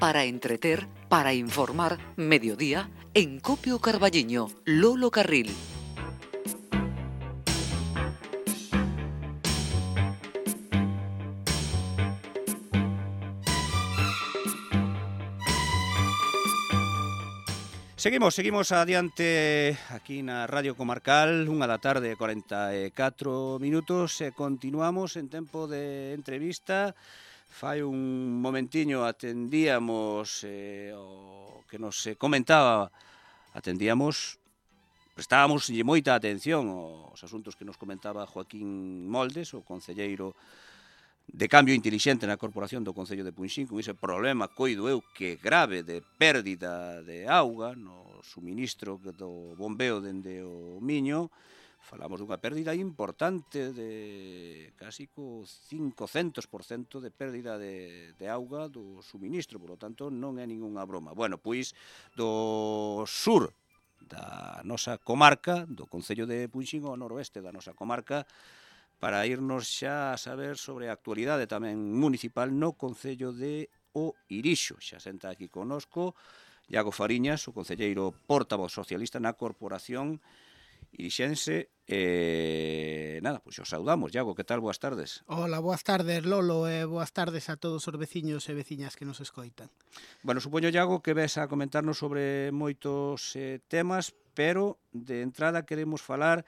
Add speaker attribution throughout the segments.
Speaker 1: para entreter, para informar, mediodía, en Copio Carballiño, Lolo Carril.
Speaker 2: Seguimos adiante aquí na Radio Comarcal, 1:44 minutos, e continuamos en tempo de entrevista. Fai un momentiño atendíamos o que nos comentaba, prestábamos moita atención aos asuntos que nos comentaba Joaquín Moldes, o concelleiro de Cambio Intelixente na Corporación do Concello de Punxín, con ese problema, coido eu, que grave de pérdida de auga no suministro do bombeo dende o Miño. Falamos dunha pérdida importante de casi co 500% de pérdida de auga do suministro, por lo tanto non é ningunha broma. Bueno, pois do sur da nosa comarca, do Concello de Punxín, ao noroeste da nosa comarca, para irnos xa a saber sobre a actualidade tamén municipal no Concello de O Irixo. Xa senta aquí connosco Iago Fariñas, o concelleiro portavoz socialista na Corporación irixense. Nada, pois os saudamos. Iago, que tal? Boas tardes.
Speaker 3: Hola, boas tardes, Lolo, e boas tardes a todos os veciños e veciñas que nos escoitan.
Speaker 2: Bueno, supoño, Iago, que ves a comentarnos sobre moitos temas, pero de entrada queremos falar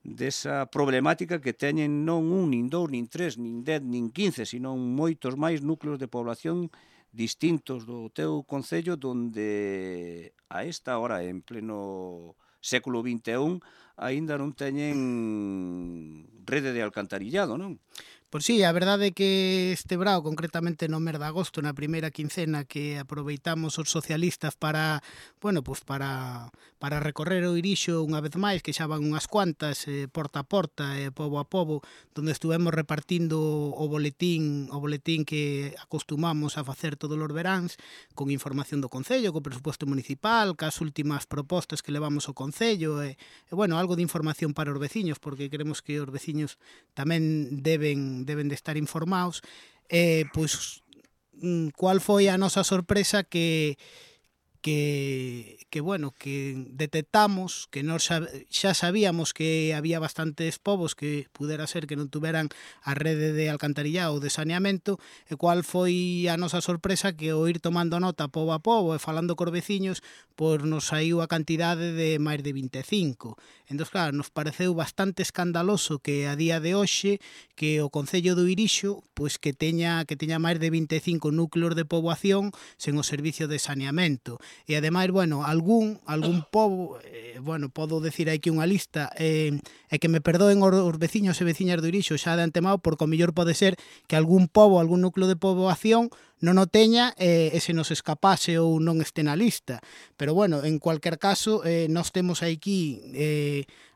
Speaker 2: desa problemática que teñen non un, nin dous, nin tres, nin 10, nin 15, sino moitos máis núcleos de población distintos do teu concello, donde a esta hora, en pleno século XXI, aínda non teñen rede de alcantarillado, non?
Speaker 3: Pois sí, a verdade é que este brao, concretamente no mes de agosto, na primeira quincena que aproveitamos os socialistas para, bueno, pues para recorrer o Irixo unha vez máis, que xa van unhas cuantas, porta a porta e pobo a pobo, donde estuvemos repartindo o boletín que acostumamos a facer todos os veráns, con información do Concello, co presuposto municipal, cas últimas propostas que levamos ao Concello, e bueno, algo de información para os veciños, porque queremos que os veciños tamén deben de estar informados. Pois, cual foi a nosa sorpresa que detectamos, que nós xa sabíamos que había bastantes povos que pudera ser que non tuveran a rede de alcantarillado ou de saneamento, e cual foi a nosa sorpresa que ao ir tomando nota pobo a pobo e falando cos veciños, pois nos saiu a cantidade de máis de 25. Entón, claro, nos pareceu bastante escandaloso que a día de hoxe que o Concello do Irixo pois que teña máis de 25 núcleos de poboación sen o servicio de saneamento. E ademais, bueno, algún pobo, podo decir aquí unha lista, e que me perdoen os veciños e veciñas do Irixo xa de antemao, porque o mellor pode ser que algún pobo, algún núcleo de poboación non o teña e se nos escapase ou non este na lista. Pero bueno, en cualquier caso, nós temos aquí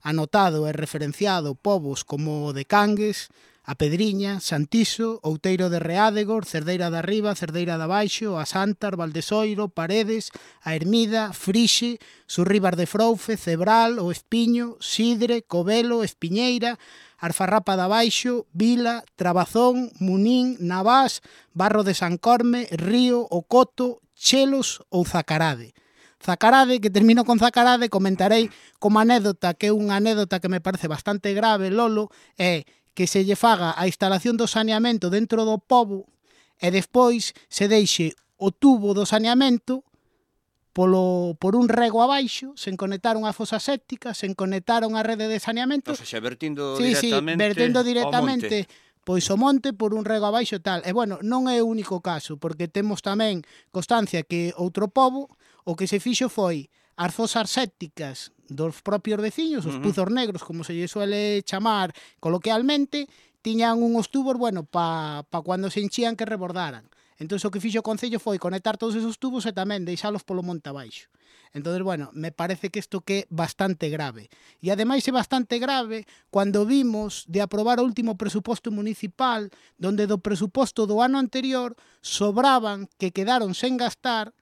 Speaker 3: anotado e referenciado povos como de Cangues, a Pedriña, Santiso, Outeiro de Reádegor, Cerdeira da Riba, Cerdeira da Baixo, a Santar, Valdesoiro, Paredes, a Hermida, Frixe, Surribas de Froufe, Cebral, o Espiño, Sidre, Covelo, Espiñeira, Arfarrapa da Baixo, Vila, Trabazón, Munín, Navás, Barro de San Corme, Río, O Coto, Chelos ou Zacarade. Zacarade, que termino con Zacarade, comentarei como anécdota, que é unha anécdota que me parece bastante grave, Lolo, é que se lle faga a instalación do saneamento dentro do pobo e despois se deixe o tubo do saneamento por un rego abaixo, sen conectar unha fosa séptica, sen conectar unha rede de saneamento.
Speaker 2: O sea, vertindo
Speaker 3: directamente pois o monte por un rego abaixo e tal. E bueno, non é o único caso, porque temos tamén constancia que outro pobo o que se fixo foi as fosas sépticas dos propios veciños, os puzos negros, como se lle suele chamar coloquialmente, tiñan unhos tubos, bueno, pa cando se enchían que rebordaran. Entón, o que fixo o Concello foi conectar todos esos tubos e tamén deixalos polo monte abaixo. Entón, bueno, me parece que isto que é bastante grave. E ademais é bastante grave cando vimos de aprobar o último presuposto municipal, donde do presuposto do ano anterior sobraban que quedaron sen gastar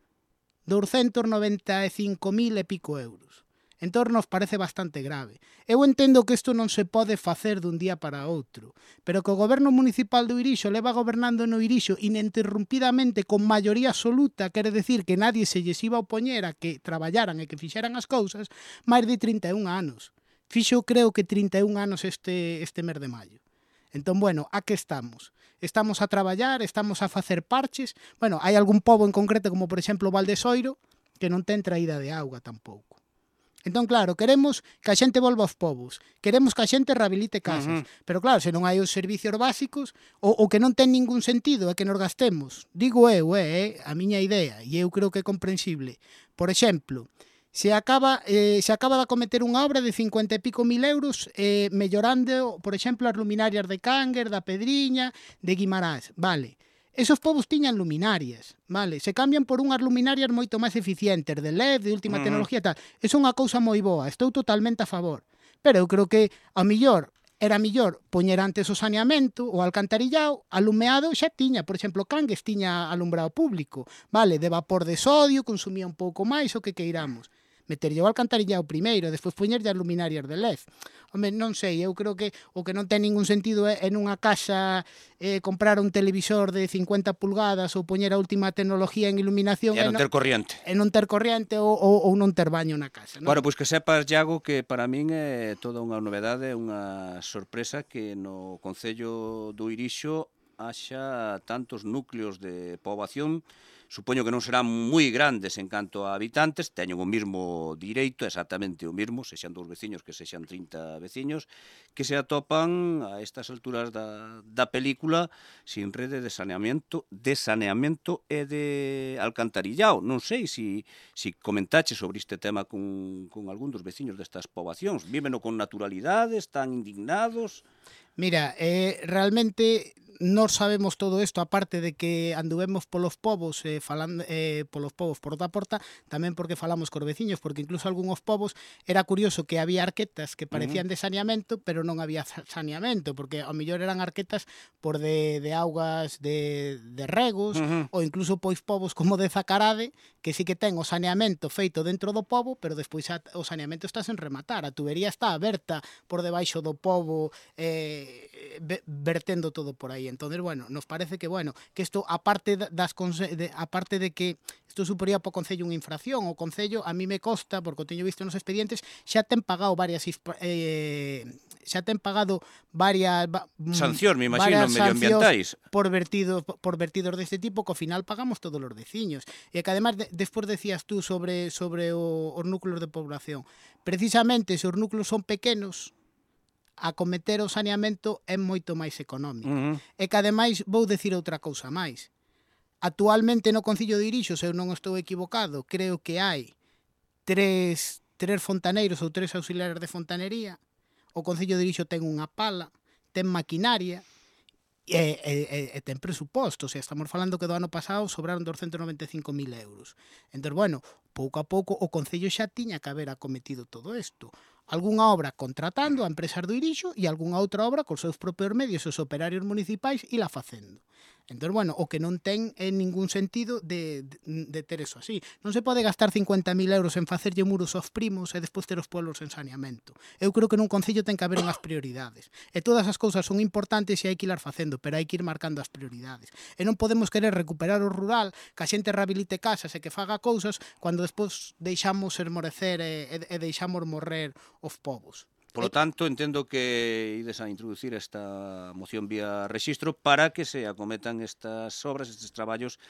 Speaker 3: 295.000 e pico euros. Entón nos parece bastante grave. Eu entendo que isto non se pode facer dun día para outro, pero que o goberno municipal do Irixo leva gobernando no Irixo ininterrumpidamente con maioría absoluta, quere decir que nadie se lles iba a opoñer a que traballaran e que fixeran as cousas, máis de 31 anos. Fixo, creo que 31 anos este mes de maio. Entón, bueno, a que estamos? Estamos a traballar, estamos a facer parches. Bueno, hai algún pobo en concreto, como por exemplo o Val de Soiro, que non ten traída de auga tampouco. Entón, claro, queremos que a xente volva aos povos, queremos que a xente rehabilite casas, pero claro, se non hai os servicios básicos, o que non ten ningún sentido é que nos gastemos, digo eu, a miña idea, e eu creo que é comprensible. Por exemplo, se acaba de acometer unha obra de 50 e pico mil euros mellorando, por exemplo, as luminarias de Cánger, da Pedriña, de Guimarães, vale. Esos povos tiñan luminarias, vale? Se cambian por unhas luminarias moito máis eficientes, de LED, de última tecnología e tal. Eso é unha cousa moi boa, estou totalmente a favor. Pero eu creo que, ao millor, era millor poñer antes o saneamento, o alcantarillado, alumeado xa tiña. Por exemplo, Cangues tiña alumbrado público, vale? De vapor de sodio, consumía un pouco máis, o que queiramos. Meterlle o alcantarillado primeiro, despois poñerlle as luminarias de LED. Home, non sei, eu creo que o que non ten ningún sentido é en unha casa comprar un televisor de 50 pulgadas ou poñer a última tecnología en iluminación
Speaker 2: E non ter corriente.
Speaker 3: E non ter corriente ou non ter baño na casa, non?
Speaker 2: Bueno, pois que sepas, Iago, que para min é toda unha novedade, unha sorpresa que no Concello do Irixo haxa tantos núcleos de poboación. Supoño que non serán moi grandes en canto a habitantes, teñen o mesmo direito, exactamente o mesmo, sexan 2 veciños que sexan 30 veciños, que se atopan a estas alturas da película sin rede de saneamento e de alcantarillado. Non sei se comentache sobre este tema con algún dos veciños destas poboacións. Víveno con naturalidade, están indignados?
Speaker 3: Mira, realmente nós sabemos todo isto, aparte de que anduvemos polos povos, falando polos povos porta a porta, tamén porque falamos cos veciños, porque incluso algúns povos era curioso que había arquetas que parecían de saneamento, pero non había saneamento, porque ao mellor eran arquetas por de augas de regos, ou incluso pois povos como de Zacarade, que sí que ten o saneamento feito dentro do pobo, pero despois o saneamento está sen rematar, a tubería está aberta por debaixo do pobo, vertendo todo por aí. Entonces, bueno, nos parece que, bueno, que isto, aparte de que isto suporía para o Concello unha infracción, o Concello, a mí me consta, porque o teño visto nos expedientes, xa ten pagado varias
Speaker 2: sancións, me imagino, medioambientais
Speaker 3: por vertidos deste tipo, que ao final pagamos todos os veciños. E que además, despois decías tú sobre os núcleos de población. Precisamente, se os núcleos son pequenos, acometer o saneamento é moito máis económico. E que ademais vou decir outra cousa máis. Actualmente no Concello de Irixo, se eu non estou equivocado, creo que hai tres fontaneiros ou 3 auxiliares de fontanería. O Concello de Irixo ten unha pala, ten maquinaria e ten presuposto. O sea, estamos falando que do ano pasado sobraron 295.000 euros. Entón, bueno, pouco a pouco o Concello xa tiña que haber acometido todo isto. Algúnha obra contratando a empresas do Irixo e algúnha outra obra cos seus propios medios, os operarios municipais, e la facendo. Entón, bueno, o que non ten ningún sentido de ter eso así. Non se pode gastar 50.000 euros en facerlle muros aos primos e despois ter os pueblos en saneamento. Eu creo que nun concello ten que haber unhas prioridades. E todas as cousas son importantes e hai que ir facendo, pero hai que ir marcando as prioridades. E non podemos querer recuperar o rural, que a xente rehabilite casas e que faga cousas, cando despois deixamos esmorecer e deixamos morrer os povos.
Speaker 2: Por lo tanto, entendo que ides a introducir esta moción vía rexistro para que se acometan estas obras, estes traballos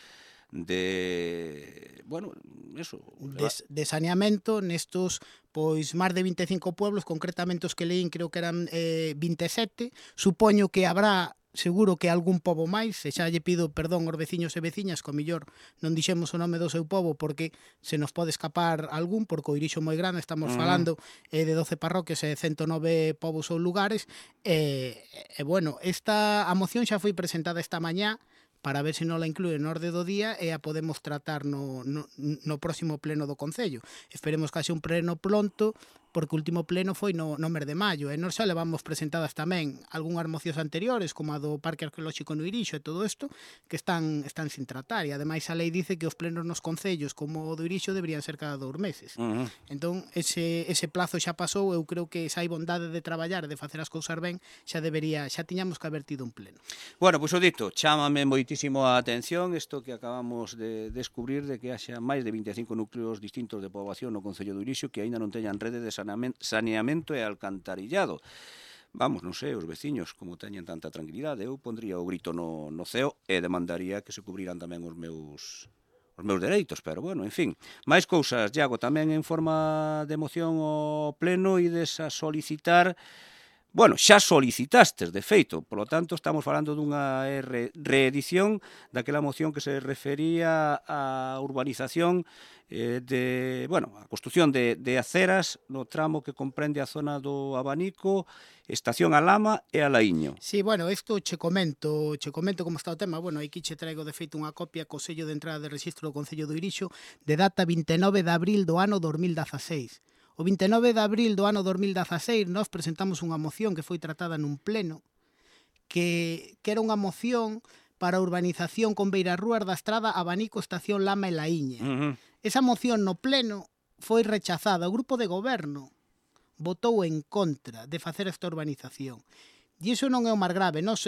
Speaker 2: de, bueno, eso,
Speaker 3: de saneamento nestos, pois, máis de 25 pueblos, concretamente os que leín creo que eran 27. Supoño que habrá seguro que algún pobo máis, e xa lle pido perdón aos veciños e veciñas, que o mellor non dixemos o nome do seu pobo porque se nos pode escapar algún, porque o Irixo moi grande, estamos falando de 12 parroquias e 109 povos ou lugares, e bueno, a moción xa foi presentada esta mañá para ver se non la inclúe no orde do día e a podemos tratar no próximo pleno do Concello. Esperemos que haxe un pleno pronto porque o último pleno foi no mes de maio, e nós xa levamos presentadas tamén algunhas mocións anteriores, como a do Parque Arqueolóxico no Irixo e todo isto, que están sin tratar, e ademais a lei dice que os plenos nos concellos como o do Irixo deberían ser cada 2 meses. Entón, ese plazo xa pasou, eu creo que se hai bondade de traballar, de facer as cousas ben, xa tiñamos que haber tido un pleno.
Speaker 2: Bueno, pois o dito, chámame moitísimo a atención isto que acabamos de descubrir de que haxa máis de 25 núcleos distintos de poboación no Concello do Irixo que aínda non teñan rede de saneamento e alcantarillado. Vamos, non sei, os veciños, como teñen tanta tranquilidade, eu pondría o grito no ceo e demandaría que se cubriran tamén os meus dereitos, pero bueno, en fin. Máis cousas, Iago, tamén en forma de moción ao pleno ides a solicitar. Bueno, xa solicitastes, de feito, polo tanto, estamos falando dunha reedición daquela moción que se refería á urbanización a construción de aceras no tramo que comprende a zona do Abanico, Estación a Lama e a Laíño.
Speaker 3: Sí, bueno, isto che comento como está o tema. Bueno, aquí che traigo de feito unha copia co sello de entrada de rexistro do Concello do Irixo de data 29 de abril do ano 2016. O 29 de abril do ano 2016 nós presentamos unha moción que foi tratada nun pleno que era unha moción para a urbanización con beirarrúas da estrada Abanico, Estación Lama e Laíña. Esa moción no pleno foi rechazada. O grupo de goberno votou en contra de facer esta urbanización. E iso non é o máis grave. Nos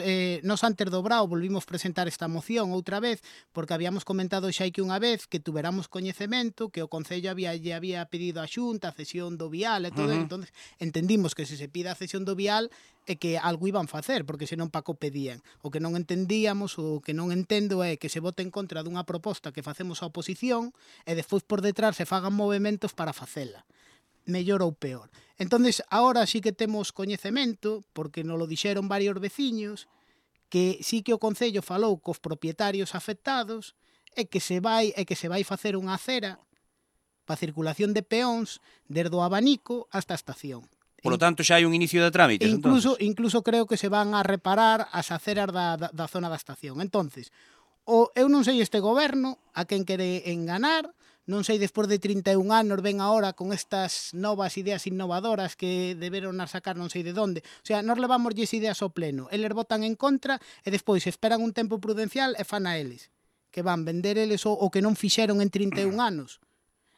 Speaker 3: antes do Brao volvimos presentar esta moción outra vez porque habíamos comentado xa que unha vez que tuveramos coñecemento que o Concello lle había pedido a Xunta a cesión do vial e todo, entonces entendimos que se pida a cesión do vial é que algo iban facer, porque senón pa que o pedían. O que non entendíamos, o que non entendo é que se vote en contra dunha proposta que facemos a oposición e despois por detrás se fagan movimentos para facela. Mellor ou peor. Entonces, agora sí que temos coñecemento, porque nos lo dixeron varios veciños, que sí que o Concello falou cos propietarios afectados e que se vai facer unha acera para circulación de peóns desde o Abanico hasta a estación.
Speaker 2: Por lo tanto, xa hai un inicio de trámites,
Speaker 3: Incluso creo que se van a reparar as aceras da zona da estación. Entonces, eu non sei este goberno a quen quere enganar, non sei, despois de 31 anos ven agora con estas novas ideas innovadoras que deberon sacar non sei de onde. O sea, nós levamos ideas ao pleno, eles votan en contra e despois esperan un tempo prudencial e fan a eles, que van vender eles o que non fixeron en 31 anos.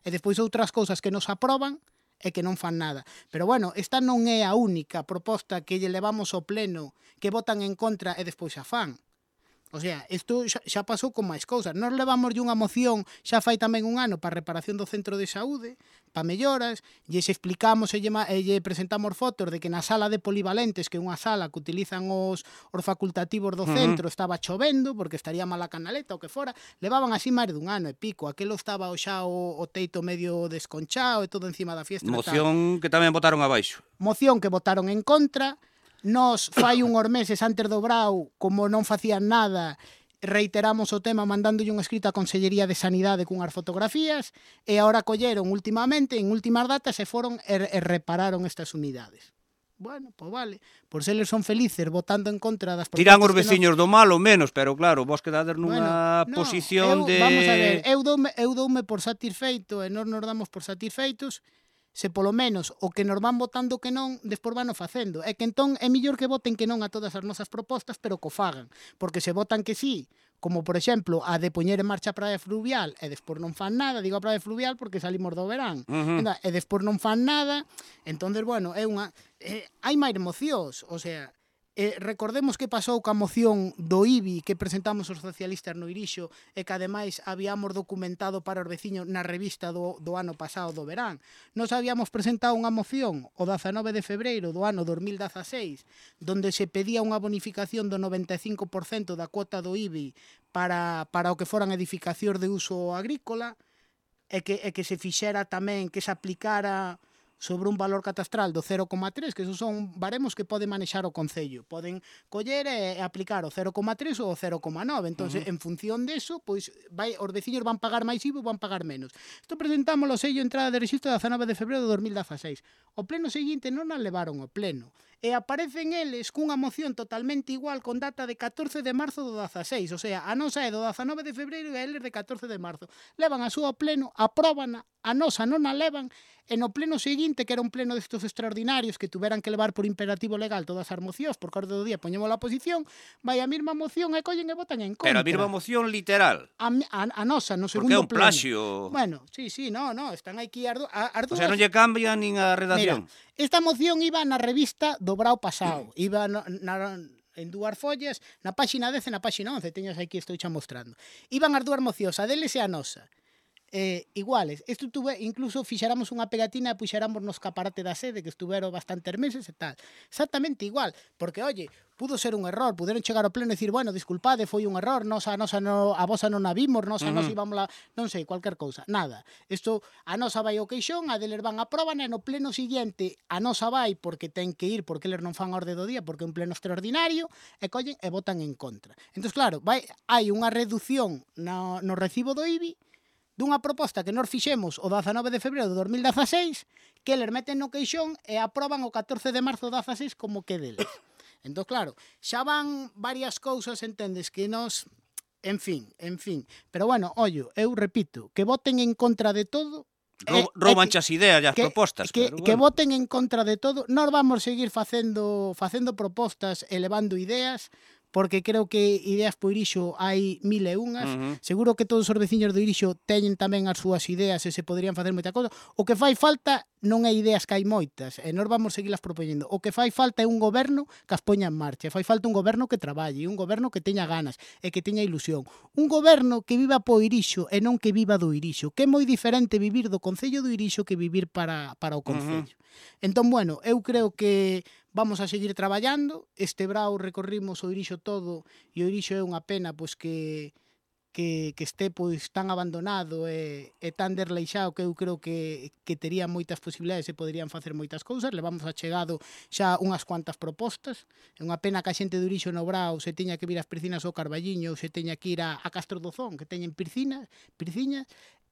Speaker 3: E despois outras cousas que nos aproban e que non fan nada. Pero bueno, esta non é a única proposta que lle levamos ao pleno que votan en contra e despois a fan. O sea, isto xa pasou con máis cousas. Nós levamos unha moción xa fai tamén un ano para a reparación do centro de saúde, para melloras, e se explicamos e lle presentamos fotos de que na sala de polivalentes, que é unha sala que utilizan os facultativos do centro, estaba chovendo, porque estaría mala canaleta ou que fora, levaban así máis dun ano e pico. Aquelo estaba xa o teito medio desconchado e todo encima da fiestra.
Speaker 2: Moción que tamén votaron abaixo.
Speaker 3: Moción que votaron en contra. Nos fai unhos meses antes do Brao, como non facían nada, reiteramos o tema mandándolle un escrito á Consellería de Sanidade cunhas fotografías e agora colleron últimamente, en últimas datas, e foron e repararon estas unidades. Bueno, pois vale, por se eles son felices votando en contra das propostas.
Speaker 2: Dirán os veciños do mal ou menos, pero claro, vos quedades nunha posición de...
Speaker 3: Vamos a ver, eu doume por satisfeito e nós nos damos por satisfeitos se polo menos o que nos van votando que non, despois van o facendo. É que entón é mellor que voten que non a todas as nosas propostas, pero que o fagan. Porque se votan que sí, como por exemplo a de poñer en marcha a praia fluvial e despois non fan nada, digo a praia fluvial porque salimos do verán, e despois non fan nada, entón, bueno, é unha... hai máis mocións, o sea... recordemos que pasou ca moción do IBI que presentamos os socialistas no Irixo e que ademais habíamos documentado para os veciños na revista do ano pasado do verán. Nos habíamos presentado unha moción o 19 de febreiro do ano 2016 donde se pedía unha bonificación do 95% da cuota do IBI para o que foran edificacións de uso agrícola e que se fixera tamén, que se aplicara sobre un valor catastral do 0,3, que esos son baremos que pode manexar o Concello. Poden coller e aplicar o 0,3 ou o 0,9. Entón, en función deso, pois os veciños van pagar máis IVA ou van pagar menos. Isto presentamos o sello entrada de rexistro 19 de febreiro de 2016. O pleno seguinte non a levaron ao pleno. e aparecen eles cunha moción totalmente igual con data de 14 de marzo do 16, o sea, a nosa é do 19 de febreiro e eles de 14 de marzo. Levan a súa pleno, apróbana, a nosa non a levan, e no pleno seguinte, que era un pleno destos extraordinarios que tuveran que levar por imperativo legal todas as mocións, por orde do día poñemos a oposición, vai a mesma moción e collen e votan en contra.
Speaker 2: Pero a mesma moción literal.
Speaker 3: A nosa, no
Speaker 2: Porque é
Speaker 3: segundo
Speaker 2: un
Speaker 3: pleno.
Speaker 2: plaxio.
Speaker 3: Bueno, sí, no, están aquí as
Speaker 2: O
Speaker 3: dúas.
Speaker 2: sea, non lle cambia nin a redacción.
Speaker 3: Mira, esta moción iba na revista do Brao pasado, iba en dúas follas, na páxina 10 e na páxina 11, teñas aquí, estou xa mostrando. Iban as dúas mocións, a deles e a nosa. Iguales. Isto incluso fixéramos unha pegatina e puxéramos no escaparate da sede, que estuveron bastantes meses e tal. Exactamente igual, porque, oye, pudo ser un error, puderon chegar ao pleno e dicir, bueno, disculpade, foi un error, a vosa non a vimos, nos íbamos a, non sei, cualquier cousa. Nada. Isto, a nosa vai ao queixón, a deles van a proban e no pleno siguiente a nosa vai porque ten que ir, porque eles non fan a orde do día, porque é un pleno extraordinario, e collen e votan en contra. Entón, claro, hai unha reducción no recibo do IBI dunha proposta que nós fixemos o 19 de febreiro de 2016, que eles meten no queixón e aproban o 14 de marzo do 16 como que deles. Entón, claro, xa van varias cousas, entendes, que nos... En fin. Pero, bueno, ollo, eu repito, que voten en contra de todo...
Speaker 2: Rouban as ideas e as propostas.
Speaker 3: Que voten en contra de todo. Nós vamos seguir facendo propostas e levando ideas, porque creo que ideas por Irixo hai 1001. Seguro que todos os veciños do Irixo teñen tamén as súas ideas e se poderían facer moita cosa. O que fai falta non é ideas que hai moitas, e nós vamos seguirlas propoñendo. O que fai falta é un goberno que as poña en marcha, fai falta un goberno que traballe, un goberno que teña ganas e que teña ilusión. Un goberno que viva po Irixo e non que viva do Irixo, que é moi diferente vivir do Concello do Irixo que vivir para o Concello. Entón, bueno, eu creo que vamos a seguir traballando. Este brao recorrimos o Irixo todo e o Irixo é unha pena pois que este pois tan abandonado e tan desleixado, que eu creo que tería moitas posibilidades e poderían facer moitas cousas. Levamos achegado xa unhas cuantas propostas. É unha pena que a xente do Irixo no Brao se teña que vir ás piscinas ao Carballiño ou se teña que ir a Castro do Zón, que teñen piscinas.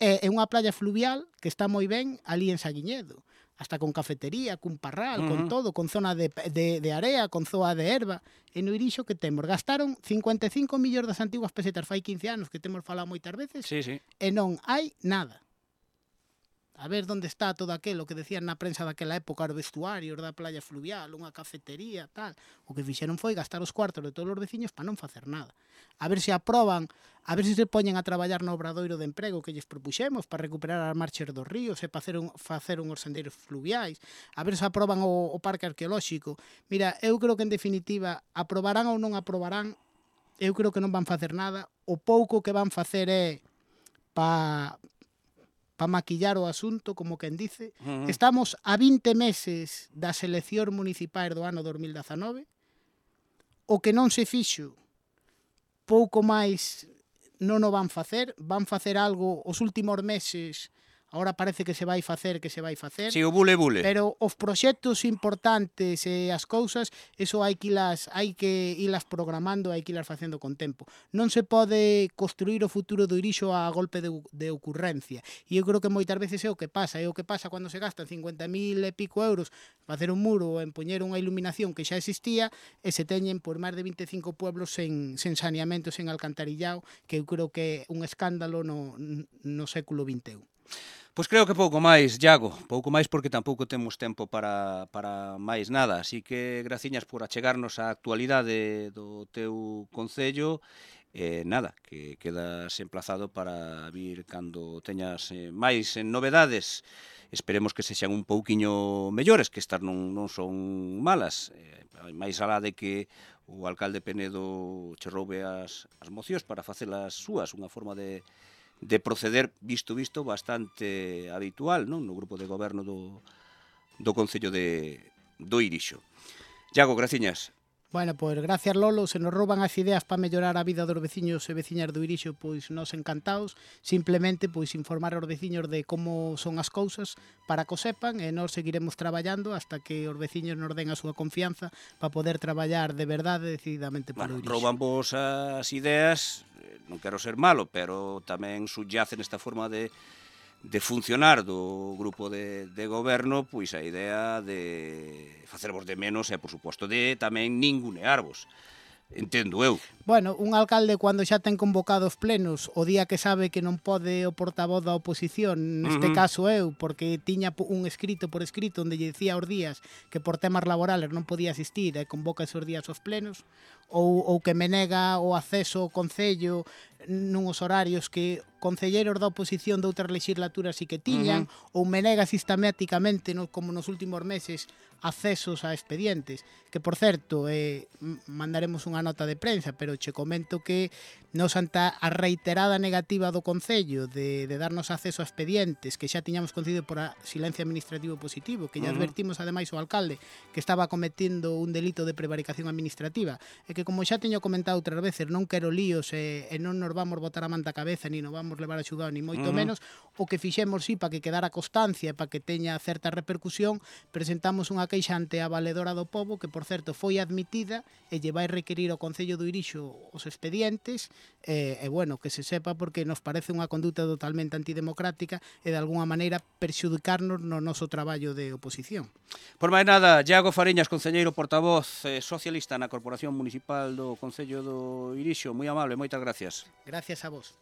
Speaker 3: É unha playa fluvial que está moi ben ali en Saguiñedo, hasta con cafetería, cun parral, con todo, con zona de area, con zoa de erva. E no Irixo que temos? Gastaron 55 millóns das antiguas pesetas fai 15 anos, que temos falado moitas veces, e non hai nada. A ver onde está todo aquilo que decían na prensa daquela época, os vestuarios da playa fluvial, unha cafetería, tal. O que fixeron foi gastar os cuartos de todos os veciños para non facer nada. A ver se aproban, a ver se poñen a traballar no obradoiro de emprego que lles propuxemos para recuperar as marchas dos ríos e para facer unhos sendeiros fluviais. A ver se aproban o parque arqueolóxico. Mira, eu creo que en definitiva, aprobarán ou non aprobarán, eu creo que non van facer nada. O pouco que van facer é para maquillar o asunto, como quen dice. Estamos a 20 meses das eleccións municipais do ano 2019. O que non se fixo, pouco máis non o van facer algo os últimos meses. Agora parece que se vai facer.
Speaker 2: Si, o bule.
Speaker 3: Pero os proxectos importantes e as cousas, eso hai que ilas programando, hai que ilas facendo con tempo. Non se pode construir o futuro do Irixo a golpe de ocurrencia. E eu creo que moitas veces é o que pasa. É o que pasa cando se gastan 50.000 e pico euros facer un muro ou en poñer unha iluminación que xa existía e se teñen por máis de 25 pueblos sen saneamento, sen alcantarillado, que eu creo que é un escándalo no século XXI.
Speaker 2: Pois creo que pouco máis, Iago, pouco máis porque tampouco temos tempo para máis nada, así que graciñas por achegarnos á actualidade do teu concello. Nada, que quedas emplazado para vir cando teñas máis novedades. Esperemos que sexan un pouquiño mellores, que estas non son malas. Máis alá de que o alcalde Penedo che roube as mocións para facelas súas, unha forma de proceder visto bastante habitual, non? No grupo de goberno do Concello do Irixo. Iago, graciñas.
Speaker 3: Bueno, pois gracias, Lolo. Se nos rouban as ideas para mellorar a vida dos veciños e veciñas do Irixo, pois nos encantados. Simplemente pois informar aos veciños de como son as cousas para que o sepan, e nós seguiremos traballando hasta que os veciños nos den a súa confianza para poder traballar de verdade decididamente polo Irixo.
Speaker 2: Rouban vos as ideas, non quero ser malo, pero tamén subyace nesta forma de funcionar do grupo de goberno, pois a idea de facervos de menos e, por suposto, de tamén ningunearvos. Entendo eu.
Speaker 3: Bueno, un alcalde cando xa ten convocados plenos o día que sabe que non pode o portavoz da oposición, neste caso eu, porque tiña un escrito por escrito onde lle dicía os días que por temas laborales non podía asistir e convoca esos días aos plenos, ou que me nega o acceso ao Concello nuns horarios que concelleiros da oposición de outras legislaturas sí que tiñan, ou me nega sistemáticamente, como nos últimos meses, accesos a expedientes, que por certo, mandaremos unha nota de prensa, pero che comento que nos anta a reiterada negativa do Concello de darnos acceso a expedientes que xa tiñamos concedido por a silencio administrativo positivo, que ya advertimos ademais ao alcalde que estaba cometendo un delito de prevaricación administrativa, e que como xa teño comentado outras veces, non quero líos e non nos vamos botar a manta a cabeza, ni nos vamos levar a xudado, ni moito menos, o que fixemos sí, para que quedara constancia e para que teña certa repercusión, presentamos unha queixa ante a valedora do pobo, que por certo foi admitida e lle vai requerir ao Concello do Irixo os expedientes, e bueno, que se sepa porque nos parece unha conduta totalmente antidemocrática e de alguna maneira perxudicarnos no noso traballo de oposición.
Speaker 2: Por máis nada, Iago Fariñas, concelleiro portavoz socialista na Corporación Municipal do Concello do Irixo, moi amable, moitas gracias.
Speaker 3: Gracias a vos.